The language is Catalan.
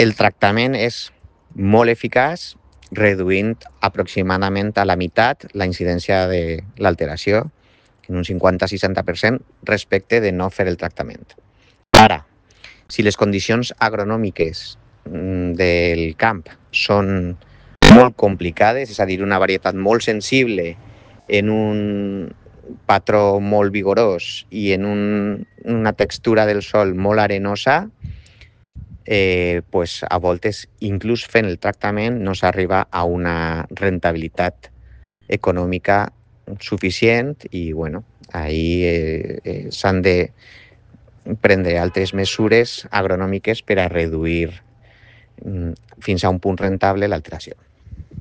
El tractament és molt eficaç, reduint aproximadament a la meitat la incidència de l'alteració, en un 50-60% respecte de no fer el tractament. Ara, si les condicions agronòmiques del camp són molt complicades, és a dir, una varietat molt sensible en un patró molt vigorós i en una textura del sòl molt arenosa, pues a voltes, inclús fent el tractament, no s'arriba a una rentabilitat econòmica suficient i, bueno, ahir s'han de prendre altres mesures agronòmiques per a reduir fins a un punt rentable l'alteració.